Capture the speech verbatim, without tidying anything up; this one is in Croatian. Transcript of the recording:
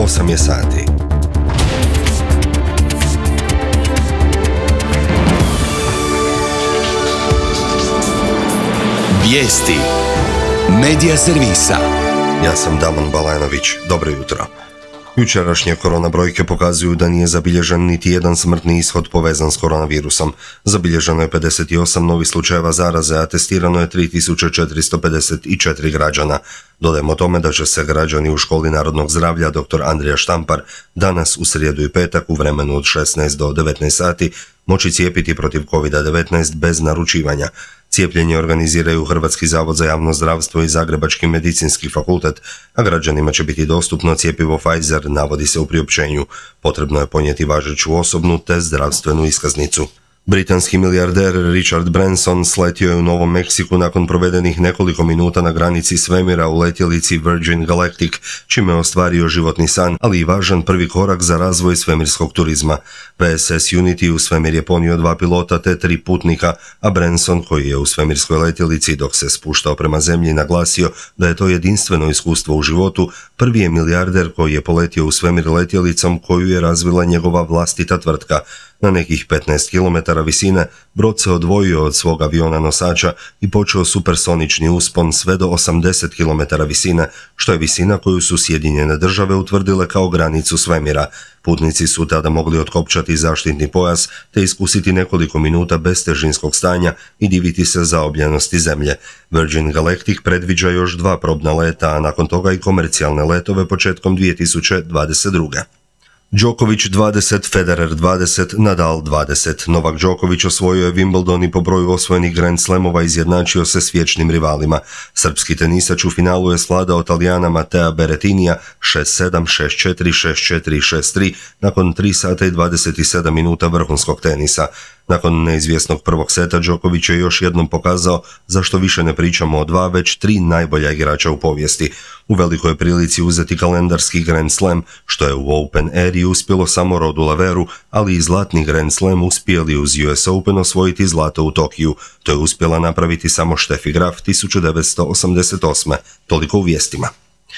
osam je sati. Vijesti Medija servisa. Ja sam Damon Balajnović. Dobro jutro. Jučerašnje korona brojke pokazuju da nije zabilježen niti jedan smrtni ishod povezan s koronavirusom. Zabilježeno je pedeset osam novih slučajeva zaraze, a testirano je tri tisuće četiristo pedeset četiri građana. Dodajmo tome da će se građani u Školi narodnog zdravlja doktor Andrija Štampar danas u srijedu i petak u vremenu od šesnaest do devetnaest sati moći cijepiti protiv kovid devetnaest bez naručivanja. Cijepljenje organiziraju Hrvatski zavod za javno zdravstvo i Zagrebački medicinski fakultet, a građanima će biti dostupno cjepivo Pfizer, navodi se u priopćenju. Potrebno je ponijeti važeću osobnu te zdravstvenu iskaznicu. Britanski milijarder Richard Branson sletio je u Novom Meksiku nakon provedenih nekoliko minuta na granici svemira u letjelici Virgin Galactic, čime je ostvario životni san, ali i važan prvi korak za razvoj svemirskog turizma. V S S Unity u svemir je ponio dva pilota te tri putnika, a Branson, koji je u svemirskoj letjelici dok se spuštao prema zemlji, naglasio da je to jedinstveno iskustvo u životu. Prvi je milijarder koji je poletio u svemir letjelicom koju je razvila njegova vlastita tvrtka. Na nekih petnaest kilometara visine brod se odvojio od svog aviona nosača i počeo supersonični uspon sve do osamdeset kilometara visine, što je visina koju su Sjedinjene države utvrdile kao granicu svemira. Putnici su tada mogli otkopčati zaštitni pojas te iskusiti nekoliko minuta bez težinskog stanja i diviti se zaobljenosti zemlje. Virgin Galactic predviđa još dva probna leta, a nakon toga i komercijalne letove početkom dvije tisuće dvadeset druge. Djokovic dvadeset, Federer dvadeset, Nadal dvadeset. Novak Djokovic osvojio je Wimbledon i po broju osvojenih Grand Slamova izjednačio se s vječnim rivalima. Srpski tenisač u finalu je svladao Talijana Matea Berrettinija šest sedam, šest četiri, šest četiri, šest tri nakon tri sata i dvadeset sedam minuta vrhunskog tenisa. Nakon neizvjesnog prvog seta Djokovic je još jednom pokazao zašto više ne pričamo o dva, već tri najbolja igrača u povijesti. U velikoj prilici uzeti kalendarski Grand Slam, što je u Open eri uspjelo samo Rodu Laveru, ali i zlatni Grand Slam uspjeli uz U S Open osvojiti zlato u Tokiju. To je uspjela napraviti samo Steffi Graf tisuću devetsto osamdeset osme. Toliko u vijestima.